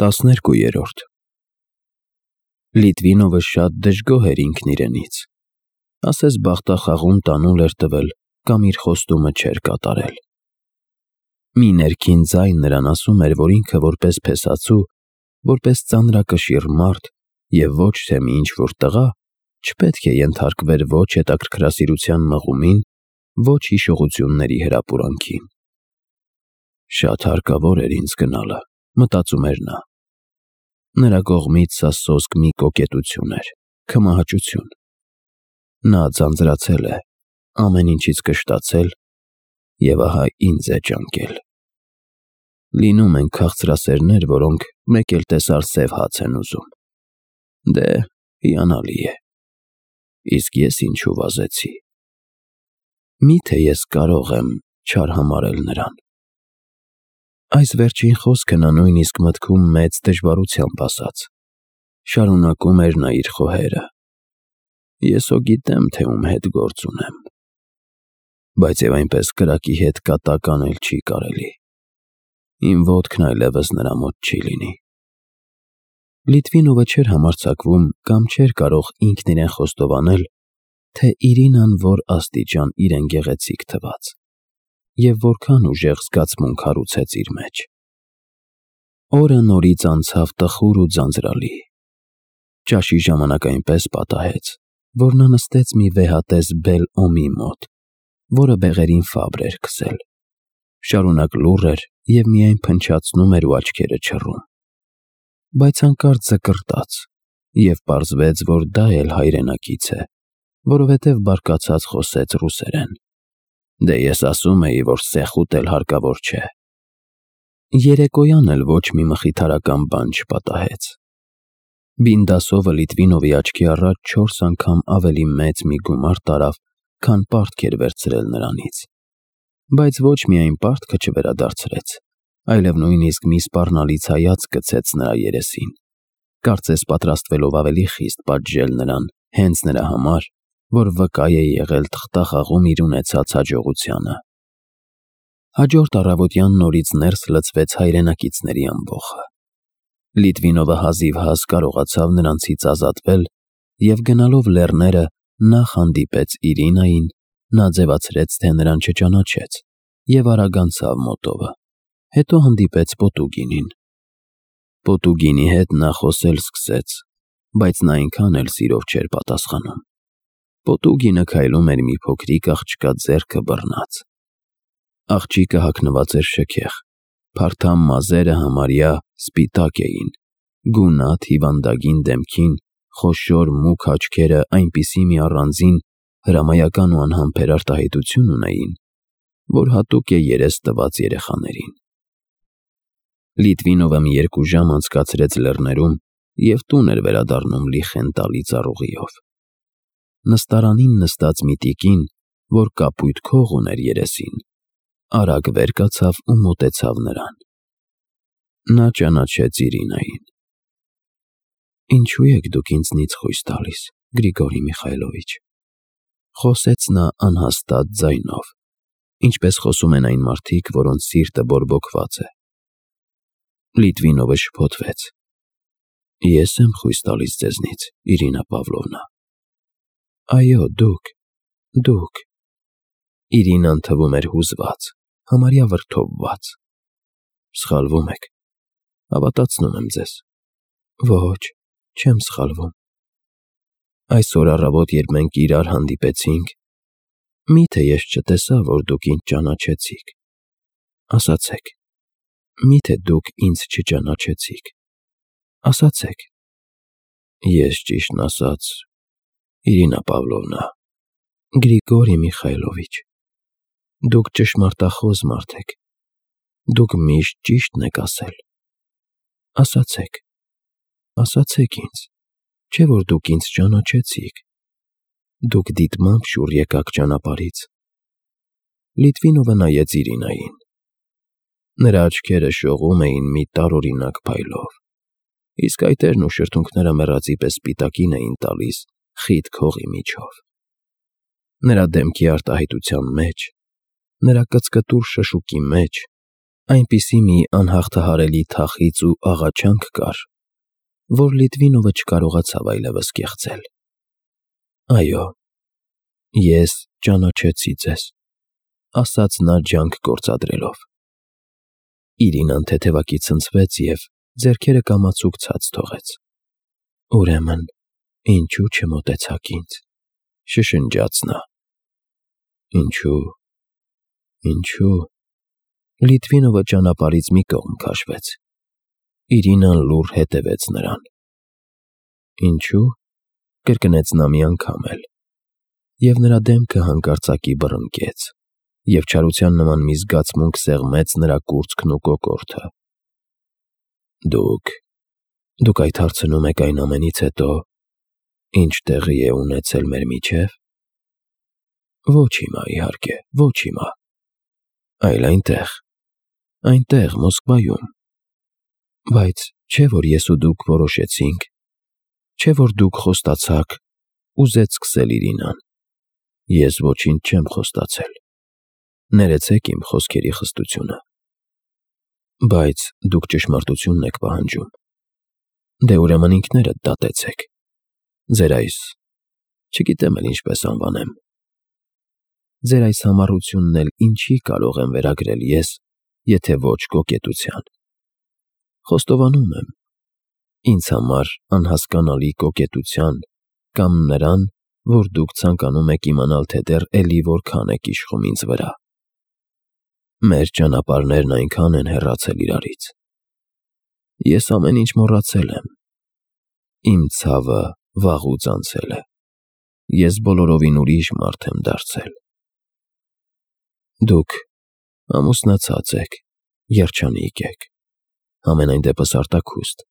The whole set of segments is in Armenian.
12-րդ Լիտվինովը շատ դժգոհ էր ինքն իրենից, ասես բախտախաղում տանուլ էր տվել կամ իր խոստումը չէր կատարել։ Մի ներքին ձայն նրան ասում էր, որ ինքը որպես փեսացու, որպես ծանրակշիռ մարդ և ոչ թե մի ինչ-որ տղա, չպետք է ենթարկվեր ոչ հետաքրքրասիրության մղումին, ոչ հիշողությունների հրապուրանքին։ Շատ հարկավոր էր ինձ գնալը, մտածում էր նա։ Նրա կողմից սա սոսկ մի կոկետություն էր, քմահաճություն։ Նա ձանձրացել է, ամեն ինչից կշտացել և ահա ինձ է ճանկել։ Լինում են քաղցրասերներ, որոնք մեկ էլ տեսար սև հաց են ուզում։ Դե, հիանալի է։ Իսկ ես ինչու վազեցի։ Միթե ես կարող եմ չար համարել նրան։ Այս վերջին խոսքը նա նույնիսկ մտքում մեծ դժվարությամբ ասաց։ Շարունակում էր նա իր խոհերը։ Ես հո գիտեմ, թե ում հետ գործ ունեմ։ Բայց և այնպես կրակի հետ կատակ անել չի կարելի։ Իմ ոտքն այլևս նրա մոտ չի լինի։ Լիտվինովը չէր համարձակվում կամ չէր կարող ինքն իրեն խոստովանել, թե Իրինան որ աստիճան իրեն գեղեցիկ թվաց և որքան ուժեղ զգացմունք հարուցեց իր մեջ։ Օրը նորից անցավ տխուր ու ձանձրալի։ Ճաշի ժամանակ այնպես պատահեց, որ նա նստեց մի վեհատես բել օմի մոտ, որը բեղերին Ֆաբր էր քսել։ Շարունակ լուռ էր և միայն փնչացնում էր ու աչքերը չռում։ Բայց հանկարծ զկռտաց, և պարզվեց, որ դա էլ հայրենակից է, որովհետև բարկացած խոսեց ռուսերեն։ Դե ես ասում էի, որ սեխուտ էլ հարկավոր չէ։ Երեկոյան էլ ոչ մի մխիթարական բան չպատահեց։ Բինդասովը Լիտվինովի աչքի առաջ 4 անգամ ավելի մեծ մի գումար տարավ, քան պարտք էր վերցրել նրանից։ Բայց ոչ միայն պարտքը չվերադարձրեց, այլև նույնիսկ մի սպառնալից հայացք գցեց նրա երեսին, կարծես պատրաստվելով ավելի խիստ պատժել նրան հենց նրա համար, որ վկա է եղել թղթախաղում իր ունեցած հաջողությանը։ Հաջորդ առավոտյան նորից ներս լցվեց հայրենակիցների ամբոխը։ Լիտվինովը հազիվհազ կարողացավ նրանցից ազատվել և գնալով լեռները նախ հանդիպեց Իրինային, նա ձևացրեց, թե նրան չճանաչեց և արագ անցավ մոտովը, հետո հանդիպեց Պոտուգինին։ Պոտուգինի հետ նա խոսել սկսեց, բայց նա այնքան էլ սիրով չէր պատասխանում։ Պոտուգինը քայլում էր մի փոքրիկ աղջկա ձեռքը բռնած։ Աղջիկը հագնված էր շքեղ, փարթամ մազերը համարյա սպիտակ էին, գունատ հիվանդագին դեմքին խոշոր մուգ աչքերը այնպիսի մի առանձին հրամայական ու անհամբեր արտահայտություն ունեին, որ հատուկ է երես տված երեխաներին։ Լիտվինովը մի 2 ժամ անցկացրեց լեռներում և տուն էր վերադառնում լի խենթալի ծառուղիով։ Նստարանին նստած մի տիկին, որ կապույտ քող ուներ երեսին, արագ վեր կացավ ու մոտեցավ նրան։ Նա ճանաչեց Իրինային։ «Ինչու եք դուք ինձնից խույս տալիս, Գրիգորի Միխայլովիչ», խոսեց նա անհաստատ ձայնով, ինչպես խոսում են այն մարդիկ, որոնց սիրտը բորբոքված է։ Լիտվինովը շփոթվեց։ Ես եմ խույս տալիս ձեզնից, Իրինա Պավլովնա։ Այո, դուք։ Իրինան թվում էր հուզված, համարյա վրդովված։ Սխալվում եք, հավատացնում եմ ձեզ։ Ոչ, չեմ սխալվում։ Այսօր առավոտ, երբ մենք իրար հանդիպեցինք, միթե ես չտեսա, որ դուք ինձ ճանաչեցիք։ Ասացեք, միթե դուք ինձ չճանաչեցիք։ Ասացեք։ Ես ճիշտն ասած, Իրինա Պավլովնա, Գրիգորի Միխայլովիչ, դուք ճշմարտախոս մարդ եք, դուք միշտ ճիշտն եք ասել։ Ասացեք ինձ, չէ՞ որ դուք ինձ ճանաչեցիք։ Դուք դիտմամբ շուռ եկաք ճանապարհից։ Լիտվինովը նայեց Իրինային։ Նրա աչքերը շողում էին մի տարօրինակ փայլով, իսկ այտերն ու շրթունքները մեռածի պես սպիտակին էին տալիս խիտ քողի միջով։ Նրա դեմքի արտահայտության մեջ, նրա կծկտուր շշուկի մեջ Այնպիսի մի անհաղթահարելի թախիծ ու աղաչանք կար, որ Լիտվինովը չկարողացավ այլևս կեղծել։ «Այո, ես ճանաչեցի ձեզ», ասաց նա ջանք գործադրելով։ Իրինան թեթևակի ցնցվեց և ձեռքերը կամացուկ ցած թողեց։ «Ուրեմն, ինչու չմոտեցաք ինձ», շշնջաց նա։ Ինչու… Լիտվինովը ճանապարհից մի կողմ քաշվեց։ Իրինան լուռ հետևեց նրան։ «Ինչու՞», կրկնեց նա մի անգամ էլ, և նրա դեմքը հանկարծակի բռնկեց, և չարության նման մի զգացմունք սեղմեց նրա կուրծքն ու կոկորդը։ Դուք այդ հարցնում եք այն ամենից հետո, ինչ տեղի է ունեցել մեր միջև։ Ոչ հիմա, իհարկե, ոչ հիմա, այլ այնտեղ, Մոսկվայում։ Բայց չէ՞ որ ես ու դուք որոշեցինք, չէ՞ որ դուք խոստացաք, ուզեց սկսել Իրինան։ Ես ոչինչ չեմ խոստացել, ներեցեք իմ խոսքերի խստությունը։ Բայց դուք ճշմարտությունն եք պահանջում։ Դե ուրեմն ինքներդ դատեցեք։ Ձեր այս… չգիտեմ էլ ինչպես անվանեմ։ Ձեր այս համառությունն էլ ինչի կարող եմ վերագրել ես, եթե ոչ կոկետության։ Խոստովանում եմ, ինձ համար անհասկանալի կոկետության կամ նրան, որ դուք ցանկանում եք իմանալ, թե դեռ էլի որքան եք իշխում ինձ վրա։ Մեր ճանապարհներն այնքան են հեռացել իրարից։ Ես ամեն ինչ մոռացել եմ։ Իմ ցավը վաղուց անցել է։ Ես բոլորովին ուրիշ մարդ եմ դարձել։ Դուք ամուսնացած եք, երջանիկ եք, համենայն դեպս արտաքուստ։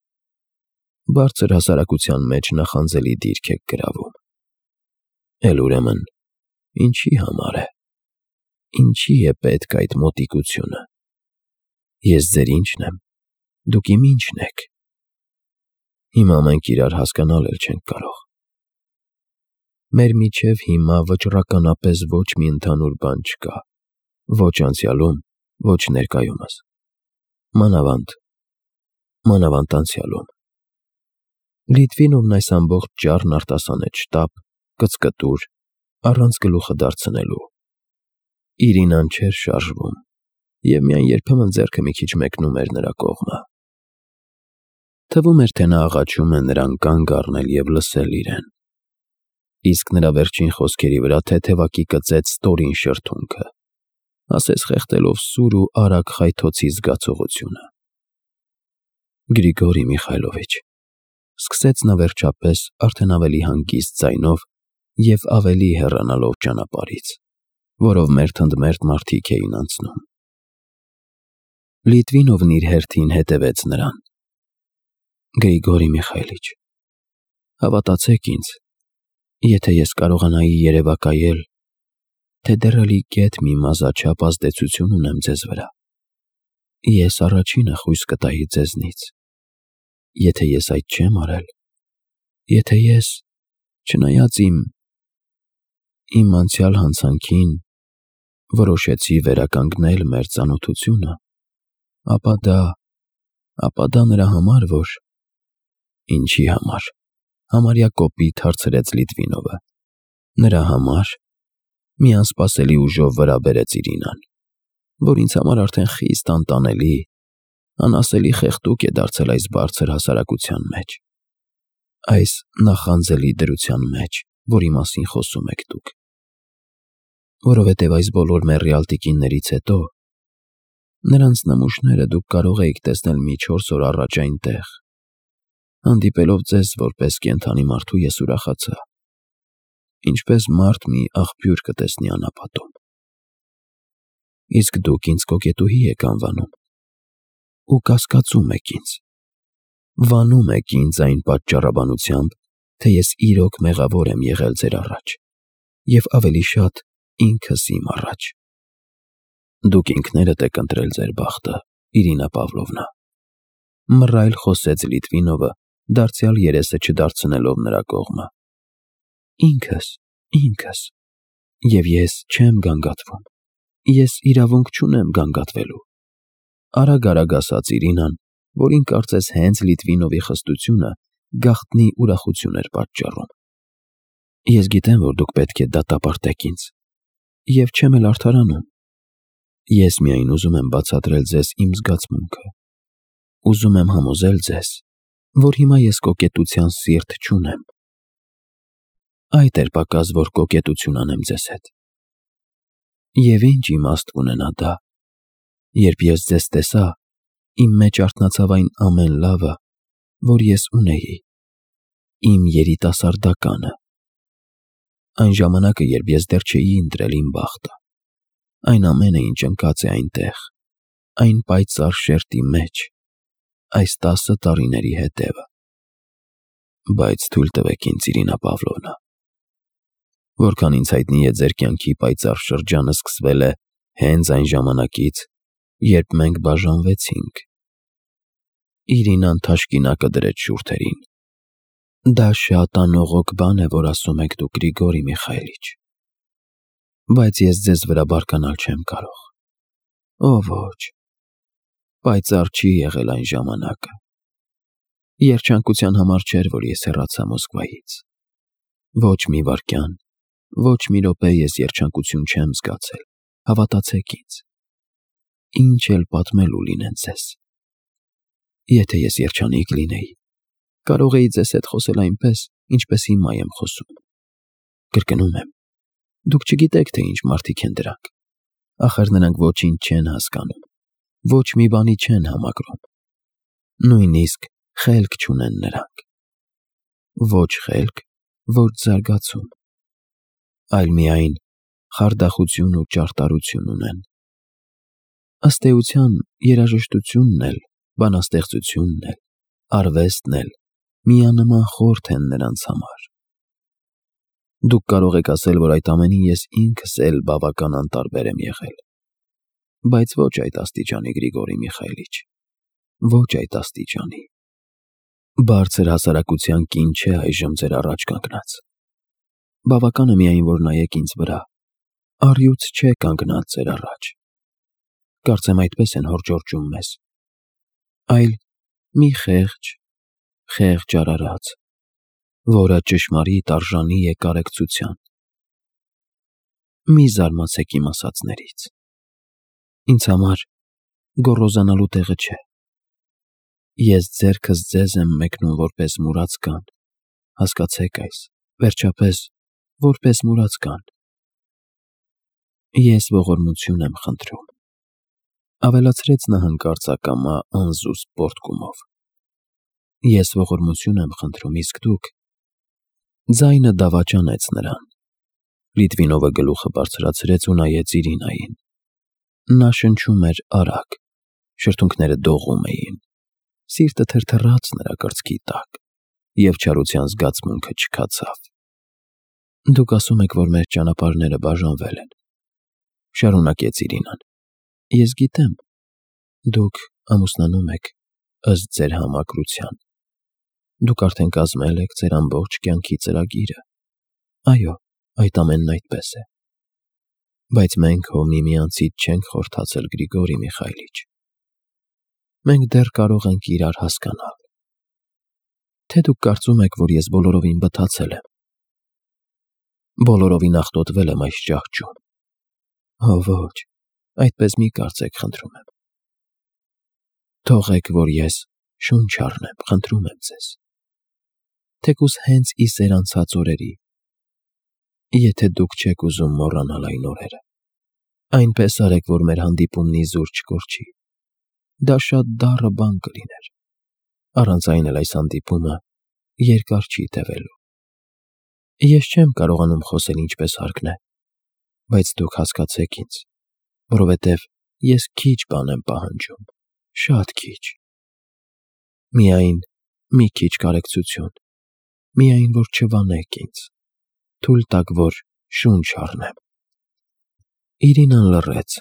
Բարձր հասարակության մեջ նախանձելի դիրք եք գրավում։ Էլ ուրեմն, ինչի համար է, ինչի է պետք այդ մոտիկությունը։ Ես ձեր ինչն եմ, դուք իմ ինչն եք։ Հիմա մենք իրար հասկանալ էլ չենք կարող։ Մեր միջև հիմա վճռականապես ոչ մի ընդհանուր բան չկա, ոչ անցյալում, ոչ ներկայումս, մանավանդ անցյալում։ Լիտվինովն այս ամբողջ ճառն արտասանեց շտապ, կծկտուր, առանց գլուխը դարձնելու։ Իրինան չէր շարժվում, և միայն երբեմն ձեռքը մի քիչ մեկնում էր նրա կողմը։ Թվում էր, թե նա աղաչում է նրան կանգ առնել և լսել իրեն։ Իսկ նրա վերջին խոսքերի վրա թեթևակի կծեց ստորին շրթունքը, ասես խեղդելով սուր ու արագ խայթոցի զգացողությունը։ Գրիգորի Միխայլովիչ, սկսեց նա վերջապես արդեն ավելի հանգիստ ձայնով և ավելի հեռանալով ճանապարհից, որով մերթընդմերթ մարդիկ էին անցնում։ Լիտվինովն իր հերթին հետևեց նրան։ Գրիգորի Միխայլիչ, հավատացեք ինձ, եթե ես կարողանայի երևակայել, թե դեռ էլի գեթ մի մազաչափ ազդեցություն ունեմ ձեզ վրա, ես առաջինը խույս կտայի ձեզնից։ Եթե ես այդ չեմ արել, եթե ես, չնայած իմ անցյալ հանցանքին, որոշեցի վերականգնել մեր ծանոթությունը, ապա դա նրա համար, որ… Ինչի համար, համարյա կոպիտ հարցրեց Լիտվինովը։ Նրա համար… մի անսպասելի ուժով վրա բերեց Իրինան, որ ինձ համար արդեն խիստ անտանելի, անասելի խեղդուկ է դարձել այս բարձր հասարակության մեջ, այս նախանձելի դրության մեջ, որի մասին խոսում եք դուք։ Որովհետև այս բոլոր մեռյալ տիկիններից հետո, նրանց նմուշները դուք կարող էիք տեսնել մի 4 օր առաջ այնտեղ։ Հանդիպելով ձեզ որպես կենդանի մարդու ես ուրախացա, ինչպես մարդ մի աղբյուր կտեսնի անապատում։ Իսկ դուք ինձ կոկետուհի եք անվանում ու կասկածում եք ինձ, վանում եք ինձ այն պատճառաբանությամբ, թե ես իրոք մեղավոր եմ եղել ձեր առաջ և ավելի շատ ինքս իմ առաջ։ Դուք ինքներդ եք ընտրել ձեր բախտը, Իրինա Պավլովնա, մռայլ խոսեց Լիտվինովը, դարձյալ երեսը չդարձնելով նրա կողմը։ Ինքս, և ես չեմ գանգատվում, ես իրավունք չունեմ գանգատվելու։ Արագ ասաց Իրինան, որին կարծես հենց Լիտվինովի խստությունը գաղտնի ուրախություն էր պատճառում։ Ես գիտեմ, որ դուք պետք է դատապարտեք ինձ, և չեմ էլ արդարանում։ Ես միայն ուզում եմ բացատրել ձեզ իմ զգացմունքը։ Ուզում եմ համոզել ձեզ, որ հիմա ես կոկետության սիրտ չունեմ։ Այդ էր պակաս, որ կոկետություն անեմ ձեզ հետ։ Եվ ինչ իմաստ կունենա դա, երբ ես ձեզ տեսա, իմ մեջ արթնացավ այն ամեն լավը, որ ես ունեի, իմ երիտասարդականը։ Այն ժամանակը, երբ ես դեռ չէի ընտրել իմ բախտը, այն ամենը, ինչ ընկած է այնտեղ, այն պայծառ շերտի մեջ, այս 10 տարիների հետևը։ Բայց թույլ տվեք ինձ, Իրինա Պավլովնա, որքան ինձ հայտնի է, ձեր կյանքի պայծառ շրջանը սկսվել է հենց այն ժամանակից, երբ մենք բաժանվեցինք։ Իրինան թաշկինակը դրեց շուրթերին։ Դա շատ անողոք բան է, որ ասում եք դուք, Գրիգորի Միխայելիչ, բայց ես ձեզ վրա բարկանալ չեմ կարող։ Ոչ, պայծառ չի եղել այն ժամանակը։ Երջանկության համար չէր, որ ես հեռացա Մոսկվայից։ Ոչ մի վայրկյան, ոչ մի րոպե ես երջանկություն չեմ զգացել, հավատացեք ինձ։ Ինչ էլ պատմելու լինեն ձեզ։ Եթե ես երջանիկ լինեի, կարող էի ձեզ հետ խոսել այնպես, ինչպես հիմա եմ խոսում։ Կրկնում եմ, դուք չգիտեք, թե ինչ մարդիկ են դրանք։ Ախր նրանք ոչինչ չեն հասկանում, ոչ մի բանի չեն համակրում։ Նույնիսկ խելք չունեն նրանք։ Ոչ խելք, ոչ զարգացում, այլ միայն խարդախություն ու ճարտարություն ունեն։ Ըստ էության, երաժշտությունն էլ, բանաստեղծությունն էլ, արվեստն էլ միանման խորթ են նրանց համար։ Դուք կարող եք ասել, որ այդ ամենին ես ինքս էլ բավական անտարբեր եմ եղել, բայց ոչ այդ աստիճանի, Գրիգորի Միխայելիչ, ոչ այդ աստիճանի։ Բարձր հասարակության կին չէ այժմ ձեր առաջ կանգնած։ Բավական է միայն, որ նայեք ինձ վրա, առյուծ չէ կանգնած ձեր առաջ։ Կարծեմ այդպես են հորդորում մեզ, այլ մի խեղճ արարած, որը ճշմարիտ արժանի է կարեկցության։ Մի զարմացեք իմ ասածներից։ Ինձ համար գոռոզանալու տեղը չէ։ Ես ձեռքս ձեզ եմ մեկնում որպես մուրացկան, հասկացեք այս, վերջապես, որպես մուրացկան։ Ես ողորմություն եմ խնդրում, ավելացրեց նա հանկարծ ակամա անզուսպ պոռթկումով։ Ես ողորմություն եմ խնդրում, իսկ դուք… Ձայնը դավաճանեց նրան։ Լիտվինովը գլուխը բարձրացրեց ու նայեց Իրինային։ Նա շնչում էր արագ, շրթունքները դողում էին, սիրտը թրթռաց նրա կրծքի տակ, և չարության զգացմունքը չքացավ։ Դուք ասում եք, որ մեր ճանապարհները բաժանվել են, շարունակեց Իրինան։ Ես գիտեմ, դուք ամուսնանում եք ըստ ձեր համակրության։ Դուք արդեն կազմել եք ձեր ամբողջ կյանքի ծրագիրը։ Այո, այդ ամենն այդպես է։ Բայց մենք հո միմյանցից չենք խորթացել, Գրիգորի Միխայելիչ։ Մենք դեռ կարող ենք իրար հասկանալ։ Թե դուք կարծում եք, որ ես բոլորովին բթացել եմ։ Բոլորովին աղտոտվել եմ այս ճահճում։ Հո ոչ, այդպես մի կարծեք, խնդրում եմ։ Թողեք, որ ես շունչ առնեմ, խնդրում եմ ձեզ։ Թեկուզ հենց ի սեր անցած օրերի, եթե դուք չեք ուզում մոռանալ այն օրերը, այնպես արեք, որ մեր հանդիպումն իզուր չկորչի։ Դա շատ դառը բան կլիներ։ Առանց այն էլ այս հանդիպումը երկար չի տևելու։ Ես չեմ կարողանում խոսել ինչպես հարկն է, բայց դուք հասկացեք ինձ, որովհետև ես քիչ բան եմ պահանջում, շատ քիչ։ Միայն մի քիչ կարեկցություն, միայն որ չվանեք ինձ, թույլ տաք, որ շունչ առնեմ։ Իրինան լռեց։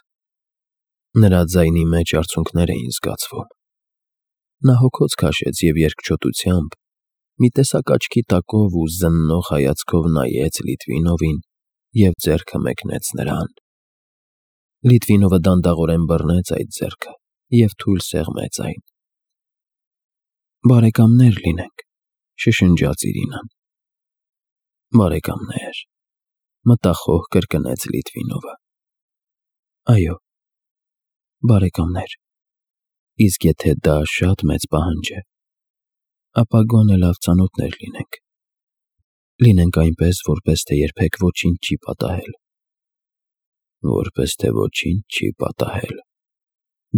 Նրա ձայնի մեջ արցունքներ էին զգացվում։ Նա հոգոց քաշեց և երկչոտությամբ, մի տեսակ աչքի տակով ու զննող հայացքով նայեց Լիտվինովին և ձեռքը մեկնեց նրան։ Լիտվինովը դանդաղորեն բռնեց այդ ձեռքը և թույլ սեղմեց այն։ «Բարեկամներ լինենք», շշնջաց Իրինան։ «Բարեկամներ», մտախոհ կրկնեց Լիտվինովը։ «Այո, բարեկամներ, իսկ եթե դա շատ մեծ պահանջ է, ապա գոնե լավ ծանոթներ լինենք։ Լինենք այնպես, որպես թե երբեք ոչինչ չի պատահել»։ «Որպես թե ոչինչ չի պատահել»,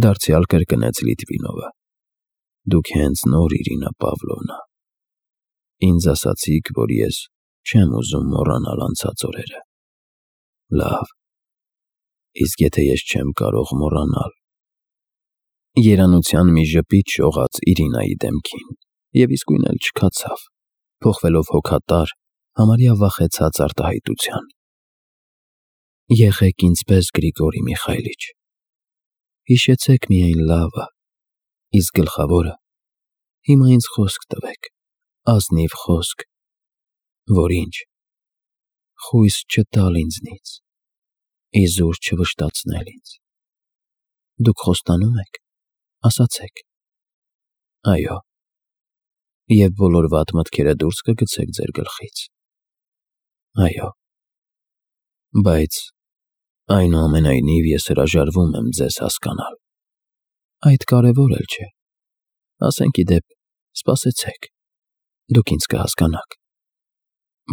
դարձյալ կրկնեց Լիտվինովը։ «Դուք հենց նոր, Իրինա Պավլովնա, ինձ ասացիք, որ ես չեմ ուզում մոռանալ անցած օրերը։ Լավ, իսկ եթե ես չեմ կարող մոռանալ»։ Երանության մի ժպիտ շողաց Իրինայի դեմքին և իսկույն էլ չքացավ, փոխվելով հոգատար, համարյա վախեցած արտահայտության։ «Եղեք ինձ պես, Գրիգորի Միխայիլիչ, հիշեցեք միայն լավը, իսկ գլխավորը հիմա ինձ խոսք տվեք, ազնիվ խոսք, որ ինչ, խույս չտալ ինձնից, իզուր չվշտացնել ինձ։ Դուք խոստանո՞ւմ եք, ասացեք»։ «Այո»։ «Եվ բոլոր վատ մտքերը դուրս կգցեք ձեր գլխից»։ «Այո»։ «Բայց այնուամենայնիվ ես հրաժարվում եմ ձեզ հասկանալ»։ «Այդ կարևոր էլ չէ, ասենք ի դեպ, սպասեցեք, դուք ինձ կհասկանաք»։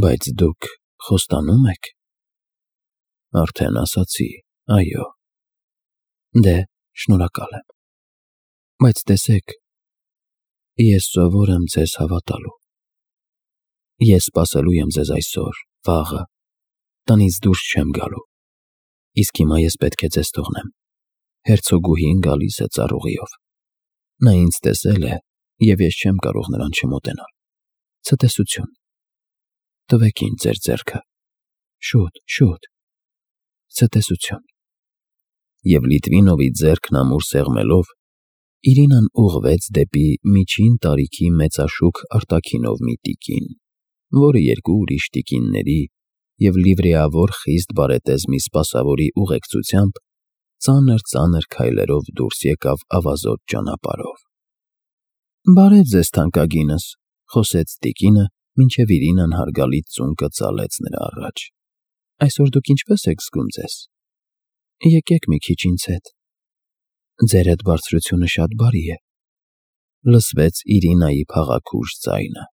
«Բայց դուք խոստանո՞ւմ եք»։ «Արդեն ասացի, այո»։ «Դե, շնորհակալ եմ, բայց տեսեք, ես սովոր եմ ձեզ հավատալու։ Ես սպասելու եմ ձեզ այսօր, վաղը, տնից դուրս չեմ գալու, իսկ հիմա ես պետք է ձեզ թողնեմ, հերցոգուհին գալիս է ծառուղիով։ Նա ինձ տեսել է, և ես չեմ կարող նրան չմոտենալ։ Ցտեսություն։ Տվեք ինձ ձեր ձեռքը, շուտ, շուտ, ցտեսություն»։ Եվ Լիտվինովի ձեռքն ամուր սեղմելով, Իրինան ուղղվեց դեպի միջին տարիքի մեծաշուք արտաքինով մի տիկին, որը երկու ուրիշ տիկինների և լիվրեավոր խիստ բարետես մի սպասավորի ուղեկցությամբ ծանր քայլերով դուրս եկավ ավազոտ ճանապարհով։ «Բարև ձեզ, թանկագինս», խոսեց տիկինը, մինչև Իրինան հարգալից ծունկը ծալեց նրա առաջ։ «Այսօր դուք ինչպե՞ս եք զգում ձեզ։ Եկեք մի քիչ ինձ հետ։ Ձեր հետ բարձրությունը շատ բարի է», լսվեց Իրինայի փաղաքուշ ձայնը։